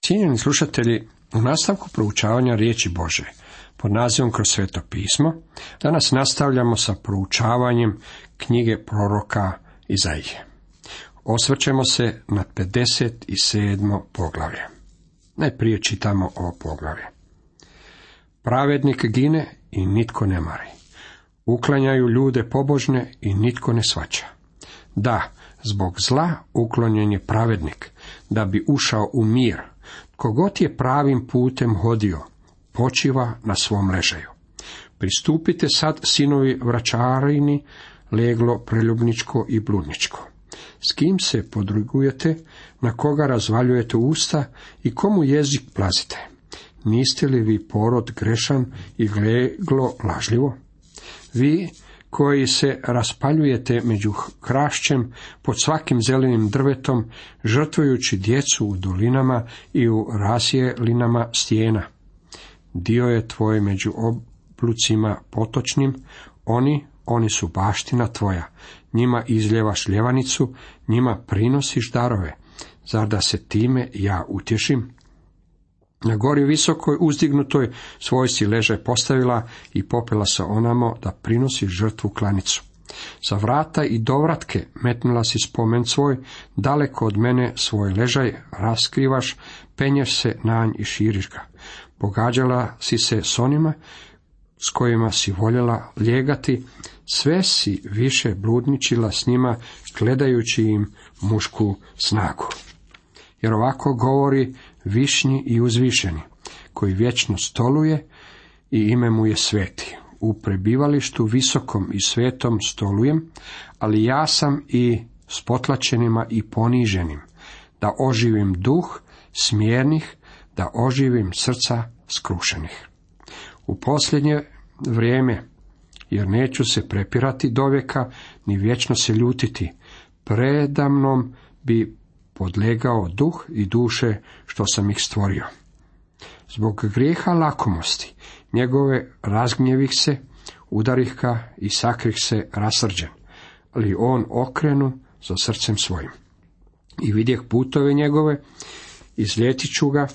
Cijenjeni slušatelji, u nastavku proučavanja riječi Božje pod nazivom Kroz sveto pismo, danas nastavljamo sa proučavanjem knjige proroka Izaije. Osvrćemo se na 57. poglavlje. Najprije čitamo ovo poglavlje. Pravednik gine i nitko ne mari. Uklanjaju ljude pobožne i nitko ne shvaća. Da, zbog zla uklonjen je pravednik, da bi ušao u mir. Tko god je pravim putem hodio, počiva na svom ležaju. Pristupite sad, sinovi vračarini, leglo preljubničko i bludničko. S kim se podrugujete, na koga razvaljujete usta i komu jezik plazite? Niste li vi porod grešan i leglo lažljivo? Vi koji se raspaljujete među hrašćem pod svakim zelenim drvetom, žrtvujući djecu u dolinama i u rasjelinama stijena. Dio je tvoj među oblucima potočnim, oni su baština tvoja. Njima izljevaš ljevanicu, njima prinosiš darove. Zar da se time ja utješim? Na gori visokoj uzdignutoj svoj si ležaj postavila i popela se onamo da prinosi žrtvu klanicu. Sa vrata i dovratke metnula si spomen svoj, daleko od mene svoj ležaj raskrivaš, penješ se na nj i širiš ga. Pogađala si se s onima s kojima si voljela lijegati, sve si više bludničila s njima, gledajući im mušku snagu. Jer ovako govori višnji i uzvišeni, koji vječno stoluje i ime mu je sveti. U prebivalištu visokom i svetom stolujem, ali ja sam i s potlačenima i poniženim, da oživim duh smjernih, da oživim srca skrušenih. U posljednje vrijeme, jer neću se prepirati dovijeka, ni vječno se ljutiti, predamnom bi podlegao duh i duše što sam ih stvorio. Zbog grijeha lakomosti, njegove razgnjevih se, udarih ga i sakrih se rasrđen, ali on okrenu za srcem svojim. I vidjeh putove njegove, izljetit ću ga,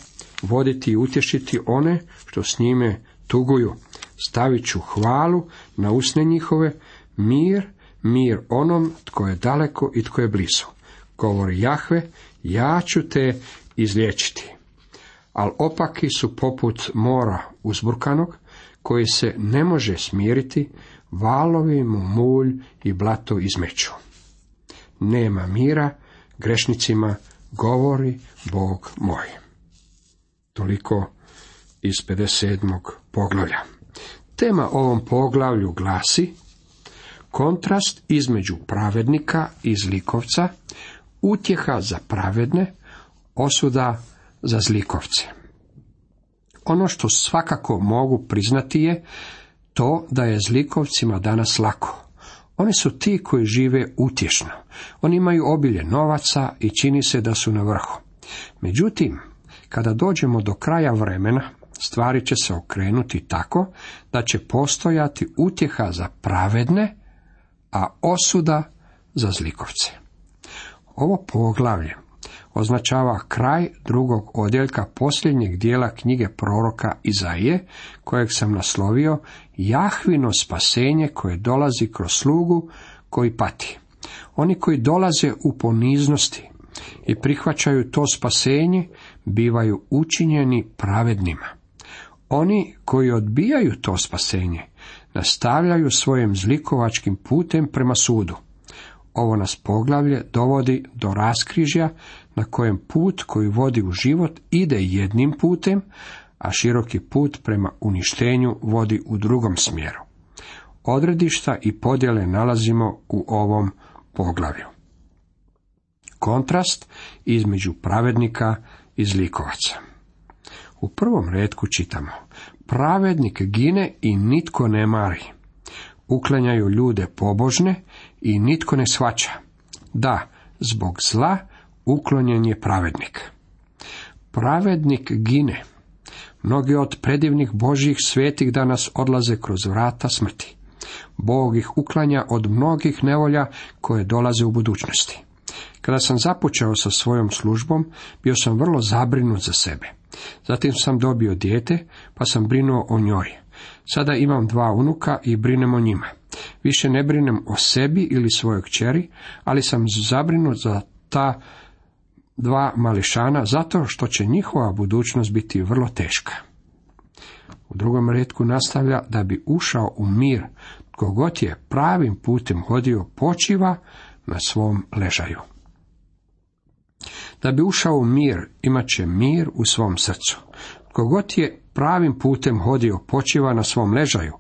voditi i utješiti one što s njime tuguju. Stavit ću hvalu na usne njihove, mir onom tko je daleko i tko je blizu. Govori Jahve, ja ću te izliječiti. Al opaki su poput mora uzburkanog, koji se ne može smiriti, valovi mu mulj i blato izmeću. Nema mira grešnicima, govori Bog moj. Toliko iz 57. poglavlja. Tema ovom poglavlju glasi kontrast između pravednika i zlikovca, utjeha za pravedne, osuda za zlikovce. Ono što svakako mogu priznati je to da je zlikovcima danas lako. Oni su ti koji žive utješno. Oni imaju obilje novaca i čini se da su na vrhu. Međutim, kada dođemo do kraja vremena, stvari će se okrenuti tako da će postojati utjeha za pravedne, a osuda za zlikovce. Ovo poglavlje označava kraj drugog odjeljka posljednjeg dijela knjige proroka Izaije, kojeg sam naslovio Jahvino spasenje koje dolazi kroz slugu koji pati. Oni koji dolaze u poniznosti i prihvaćaju to spasenje, bivaju učinjeni pravednima. Oni koji odbijaju to spasenje, nastavljaju svojim zlikovačkim putem prema sudu. Ovo nas poglavlje dovodi do raskrižja na kojem put koji vodi u život ide jednim putem, a široki put prema uništenju vodi u drugom smjeru. Odredišta i podjele nalazimo u ovom poglavlju. Kontrast između pravednika i zlikovaca. U prvom retku čitamo: pravednik gine i nitko ne mari. Uklanjaju ljude pobožne i nitko ne shvaća. Da, zbog zla uklonjen je pravednik. Pravednik gine. Mnogi od predivnih Božjih svetih danas odlaze kroz vrata smrti. Bog ih uklanja od mnogih nevolja koje dolaze u budućnosti. Kada sam započeo sa svojom službom, bio sam vrlo zabrinut za sebe. Zatim sam dobio dijete, pa sam brinuo o njoj. Sada imam 2 unuka i brinem o njima. Više ne brinem o sebi ili svojoj kćeri, ali sam zabrinut za ta 2 mališana, zato što će njihova budućnost biti vrlo teška. U drugom retku nastavlja: da bi ušao u mir, tko god je pravim putem hodio, počiva na svom ležaju. Da bi ušao u mir, imat će mir u svom srcu. Tko god je pravim putem hodio, počiva na svom ležaju.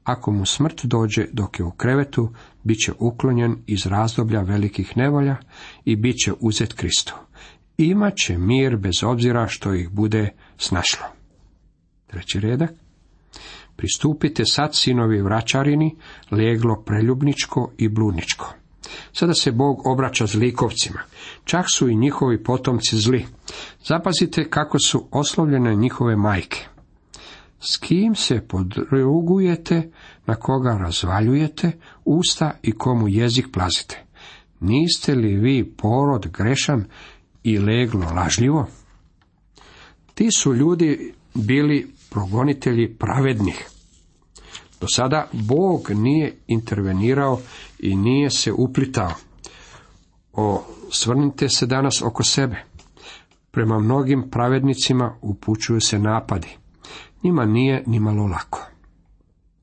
Ako mu smrt dođe dok je u krevetu, bit će uklonjen iz razdoblja velikih nevolja i bit će uzet Kristu. Imat će mir bez obzira što ih bude snašlo. 3. redak. Pristupite sad, sinovi vraćarini, leglo preljubničko i bludničko. Sada se Bog obraća zlikovcima. Čak su i njihovi potomci zli. Zapazite kako su oslovljene njihove majke. S kim se podrugujete, na koga razvaljujete usta i komu jezik plazite? Niste li vi porod grešan i leglo lažljivo? Ti su ljudi bili progonitelji pravednih. Do sada Bog nije intervenirao i nije se uplitao. Osvrnite se danas oko sebe. Prema mnogim pravednicima upućuju se napadi. Njima nije ni malo lako.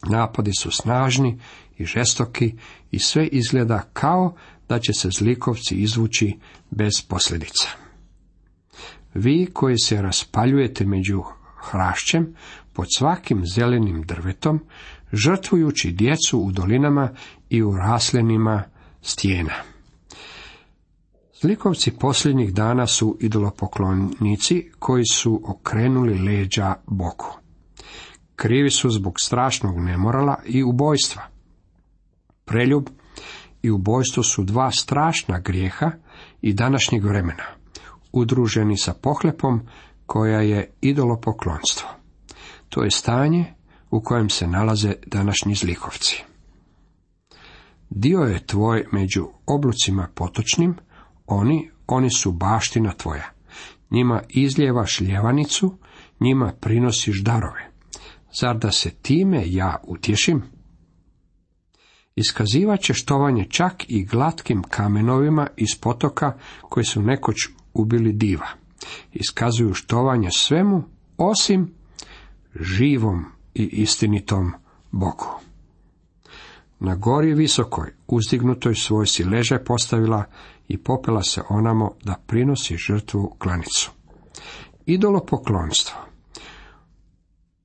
Napadi su snažni i žestoki i sve izgleda kao da će se zlikovci izvući bez posljedica. Vi koji se raspaljujete među hrašćem, pod svakim zelenim drvetom, žrtvujući djecu u dolinama i u raslinima stijena. Zlikovci posljednjih dana su idolopoklonici koji su okrenuli leđa Bogu. Krivi su zbog strašnog nemorala i ubojstva. Preljub i ubojstvo su 2 strašna grijeha i današnjeg vremena, udruženi sa pohlepom koja je idolopoklonstvo. To je stanje u kojem se nalaze današnji zlikovci. Dio je tvoj među oblucima potočnim, oni su baština tvoja. Njima izlijevaš ljevanicu, njima prinosiš darove. Zar da se time ja utješim? Iskazivat će štovanje čak i glatkim kamenovima iz potoka koji su nekoć ubili diva. Iskazuju štovanje svemu osim živom i istinitom Bogu. Na gori visokoj, uzdignutoj svoj si ležaj postavila i popela se onamo da prinosi žrtvu klanicu. Idolopoklonstvo,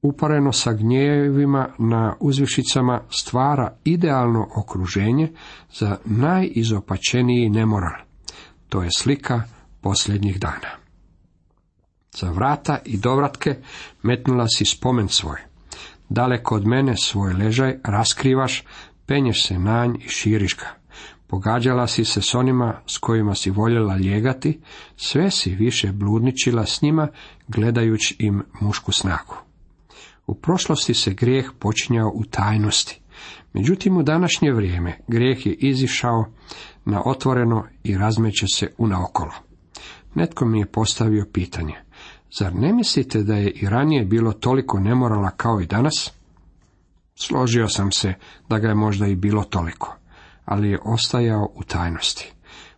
upareno sa gnjevima na uzvišicama, stvara idealno okruženje za najizopačeniji nemoral. To je slika posljednjih dana. Za vrata i dovratke metnula si spomen svoj. Daleko od mene svoj ležaj raskrivaš, penješ se na nj i širiš ga. Pogađala si se s onima s kojima si voljela lijegati, sve si više bludničila s njima, gledajući im mušku snagu. U prošlosti se grijeh počinjao u tajnosti. Međutim, u današnje vrijeme grijeh je izišao na otvoreno i razmeće se unaokolo. Netko mi je postavio pitanje: zar ne mislite da je i ranije bilo toliko nemorala kao i danas? Složio sam se da ga je možda i bilo toliko, ali je ostajao u tajnosti.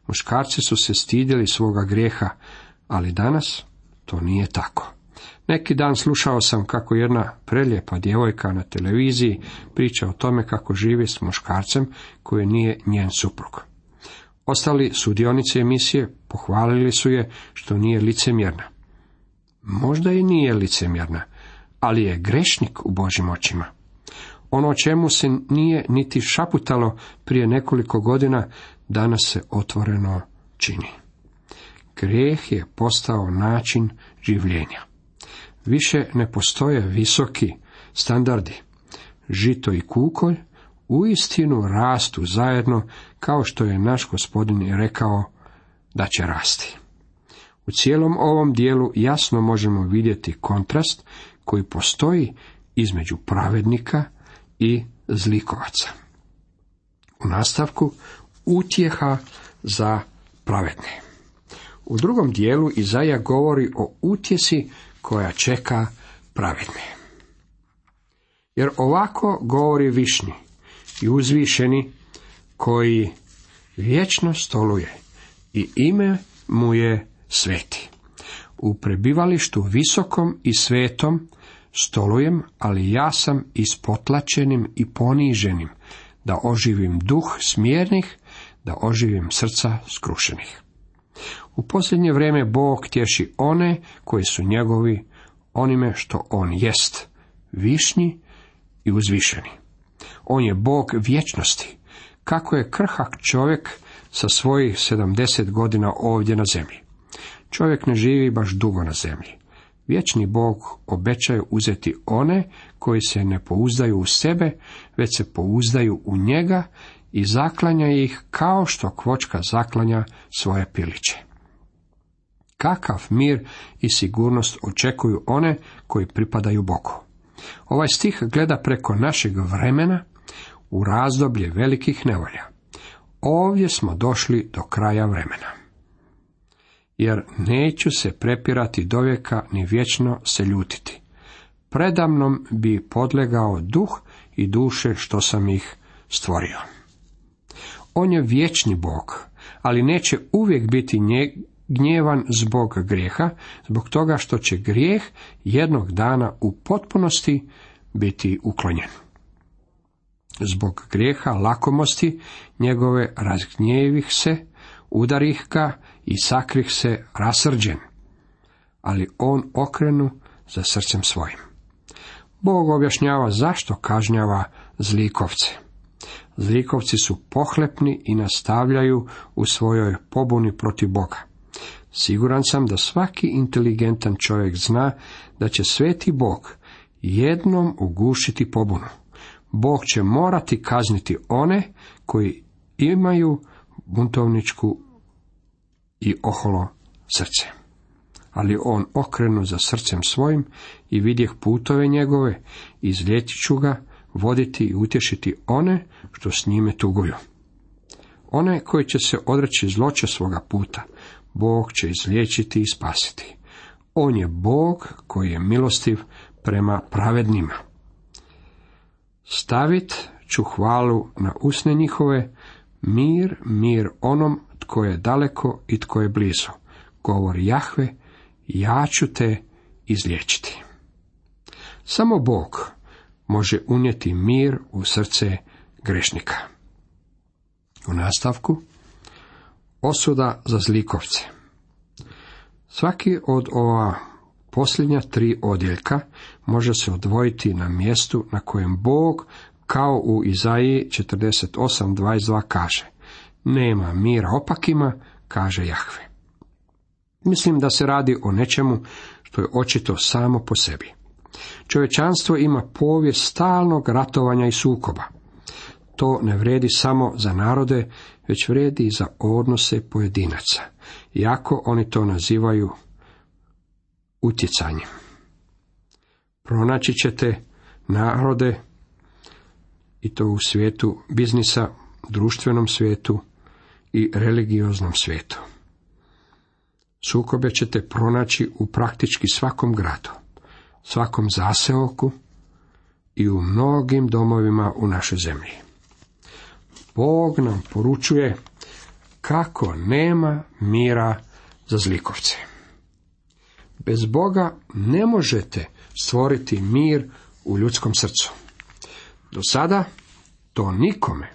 Muškarci su se stidjeli svoga grijeha, ali danas to nije tako. Neki dan slušao sam kako jedna prelijepa djevojka na televiziji priča o tome kako živi s muškarcem koji nije njen suprug. Ostali sudionici emisije pohvalili su je što nije licemjerna. Možda i nije licemjerna, ali je grešnik u Božjim očima. Ono o čemu se nije niti šaputalo prije nekoliko godina, danas se otvoreno čini. Grijeh je postao način življenja. Više ne postoje visoki standardi. Žito i kukolj uistinu rastu zajedno, kao što je naš Gospodin i rekao da će rasti. U cijelom ovom dijelu jasno možemo vidjeti kontrast koji postoji između pravednika i zlikovaca. U nastavku utjeha za pravedni. U drugom dijelu Izaija govori o utjesi koja čeka pravedni. Jer ovako govori višnji i uzvišeni koji vječno stoluje i ime mu je sveti. U prebivalištu visokom i svetom stolujem, ali ja sam ispotlačenim i poniženim, da oživim duh smjernih, da oživim srca skrušenih. U posljednje vrijeme Bog tješi one koji su njegovi onime što on jest, višnji i uzvišeni. On je Bog vječnosti, kako je krhak čovjek sa svojih 70 godina ovdje na zemlji. Čovjek ne živi baš dugo na zemlji. Vječni Bog obećaje uzeti one koji se ne pouzdaju u sebe, već se pouzdaju u njega i zaklanja ih kao što kvočka zaklanja svoje piliće. Kakav mir i sigurnost očekuju one koji pripadaju Bogu. Ovaj stih gleda preko našeg vremena u razdoblje velikih nevolja. Ovdje smo došli do kraja vremena. Jer neću se prepirati dovijeka ni vječno se ljutiti. Predamnom bi podlegao duh i duše što sam ih stvorio. On je vječni Bog, ali neće uvijek biti gnjevan zbog grijeha, zbog toga što će grijeh jednog dana u potpunosti biti uklonjen. Zbog grijeha lakomosti njegove razgnjevih se, udarih ga i sakrih se rasrđen, ali on okrenu za srcem svojim. Bog objašnjava zašto kažnjava zlikovce. Zlikovci su pohlepni i nastavljaju u svojoj pobuni protiv Boga. Siguran sam da svaki inteligentan čovjek zna da će sveti Bog jednom ugušiti pobunu. Bog će morati kazniti one koji imaju buntovničku i oholo srce. Ali on okrenu za srcem svojim i vidjeh putove njegove, izliječit ću ga, voditi i utješiti one što s njime tuguju. One koji će se odreći zloće svoga puta, Bog će izliječiti i spasiti. On je Bog koji je milostiv prema pravednima. Stavit ću hvalu na usne njihove, mir, mir onom tko je daleko i tko je blizu. Govori Jahve, ja ću te izliječiti. Samo Bog može unijeti mir u srce grešnika. U nastavku, osuda za zlikovce. Svaki od ova posljednja 3 odjeljka može se odvojiti na mjestu na kojem Bog, kao u Izaiji 48:22 kaže: nema mira opakima, kaže Jahve. Mislim da se radi o nečemu što je očito samo po sebi. Čovječanstvo ima povijest stalnog ratovanja i sukoba. To ne vrijedi samo za narode, već vrijedi i za odnose pojedinaca, iako oni to nazivaju utjecanjem. Pronaći ćete narode, i to u svijetu biznisa, društvenom svijetu i religioznom svijetu. Sukobe ćete pronaći u praktički svakom gradu, svakom zaseoku i u mnogim domovima u našoj zemlji. Bog nam poručuje kako nema mira za zlikovce. Bez Boga ne možete stvoriti mir u ljudskom srcu. Do sada to nikome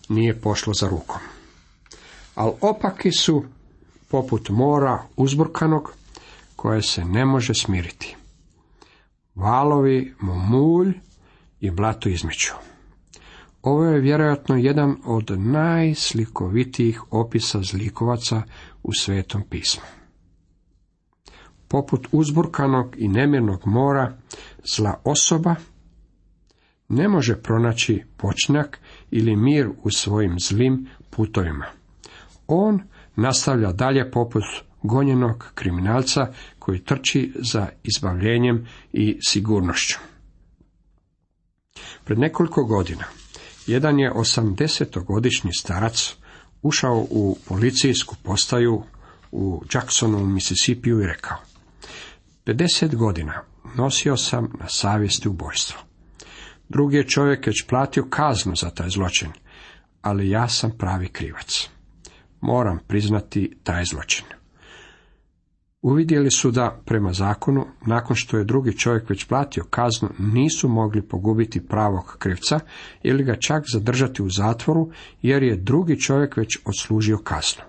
nije pošlo za rukom. Ali opaki su poput mora uzburkanog koje se ne može smiriti. Valovi mu mulj i blato izmiču. Ovo je vjerojatno jedan od najslikovitijih opisa zlikovaca u Svetom pismu. Poput uzburkanog i nemirnog mora, zla osoba ne može pronaći počnak ili mir u svojim zlim putovima. On nastavlja dalje poput gonjenog kriminalca koji trči za izbavljenjem i sigurnošću. Pred nekoliko godina jedan je 80-godišnji starac ušao u policijsku postaju u Jacksonu, u Mississippiju i rekao: 50 godina nosio sam na savjesti ubojstvo. Drugi je čovjek već platio kaznu za taj zločin, ali ja sam pravi krivac. Moram priznati taj zločin. Uvidjeli su da, prema zakonu, nakon što je drugi čovjek već platio kaznu, nisu mogli pogubiti pravog krivca ili ga čak zadržati u zatvoru, jer je drugi čovjek već odslužio kaznu.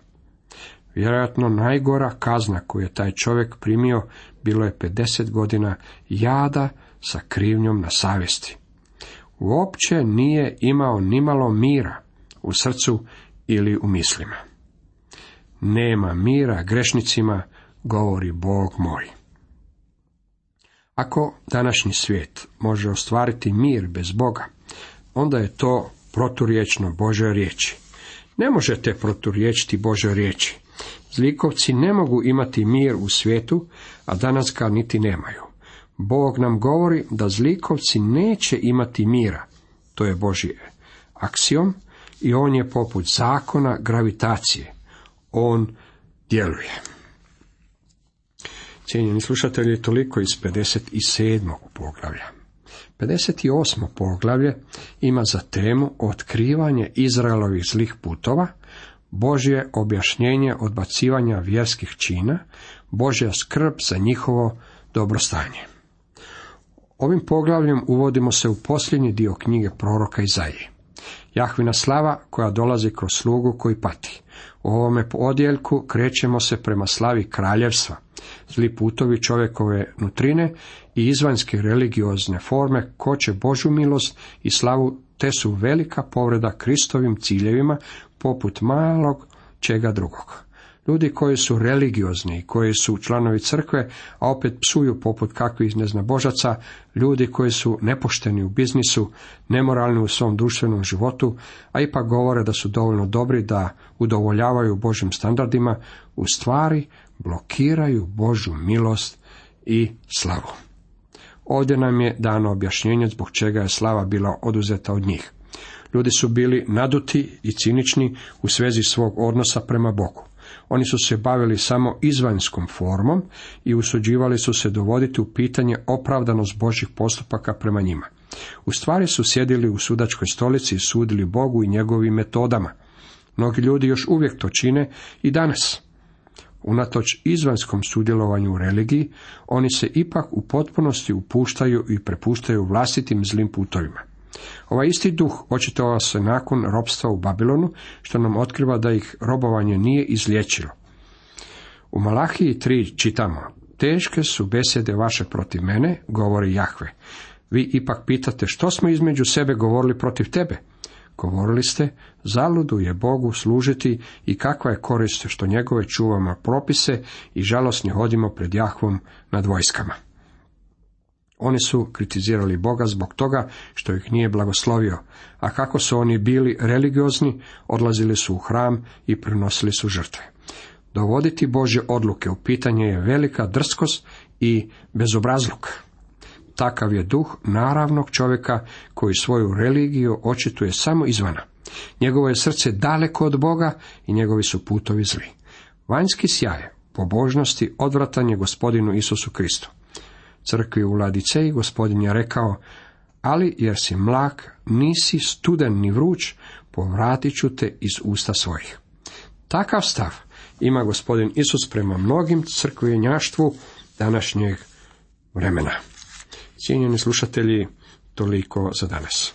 Vjerojatno najgora kazna koju je taj čovjek primio bilo je 50 godina jada sa krivnjom na savjesti. Uopće nije imao nimalo mira u srcu ili u mislima. Nema mira grešnicima, govori Bog moj. Ako današnji svijet može ostvariti mir bez Boga, onda je to proturječno Božoj riječi. Ne možete proturječiti Božoj riječi. Zlikovci ne mogu imati mir u svijetu, a danas ga niti nemaju. Bog nam govori da zlikovci neće imati mira. To je Božji aksiom i on je poput zakona gravitacije. On djeluje. Cijenjeni slušatelji, toliko iz 57. poglavlja. 58. poglavlje ima za temu otkrivanje Izraelovih zlih putova, Božje objašnjenje odbacivanja vjerskih čina, Božja skrb za njihovo dobrostanje. Ovim poglavljem uvodimo se u posljednji dio knjige proroka Izaije. Jahvina slava koja dolazi kroz slugu koji pati. U ovome odjeljku krećemo se prema slavi kraljevstva, zli putovi čovjekove nutrine i izvanjske religiozne forme koče Božju milost i slavu, te su velika povreda Kristovim ciljevima poput malog čega drugog. Ljudi koji su religiozni i koji su članovi crkve, a opet psuju poput kakvih neznabožaca, ljudi koji su nepošteni u biznisu, nemoralni u svom društvenom životu, a ipak govore da su dovoljno dobri da udovoljavaju Božjim standardima, u stvari blokiraju Božju milost i slavu. Ovdje nam je dano objašnjenje zbog čega je slava bila oduzeta od njih. Ljudi su bili naduti i cinični u svezi svog odnosa prema Bogu. Oni su se bavili samo izvanjskom formom i usuđivali su se dovoditi u pitanje opravdanost Božjih postupaka prema njima. U stvari su sjedili u sudačkoj stolici i sudili Bogu i njegovim metodama. Mnogi ljudi još uvijek to čine i danas. Unatoč izvanjskom sudjelovanju u religiji, oni se ipak u potpunosti upuštaju i prepuštaju vlastitim zlim putovima. Ovaj isti duh očitovao se nakon ropstva u Babilonu, što nam otkriva da ih robovanje nije izliječilo. U Malahiji 3 čitamo: teške su besede vaše protiv mene, govori Jahve. Vi ipak pitate što smo između sebe govorili protiv tebe. Govorili ste, zaludu je Bogu služiti i kakva je korist što njegove čuvamo propise i žalosni hodimo pred Jahvom nad vojskama. Oni su kritizirali Boga zbog toga što ih nije blagoslovio, a kako su oni bili religiozni, odlazili su u hram i prinosili su žrtve. Dovoditi Božje odluke u pitanje je velika drskost i bezobrazluk. Takav je duh naravnog čovjeka koji svoju religiju očituje samo izvana. Njegovo je srce daleko od Boga i njegovi su putovi zli. Vanjski sjaj pobožnosti odvratan je Gospodinu Isusu Kristu. Crkvi u Ladiceji Gospodin je rekao: ali jer si mlak, nisi studen ni vruć, povratit ću te iz usta svojih. Takav stav ima Gospodin Isus prema mnogim crkvenjaštvu današnjeg vremena. Cijenjeni slušatelji, toliko za danas.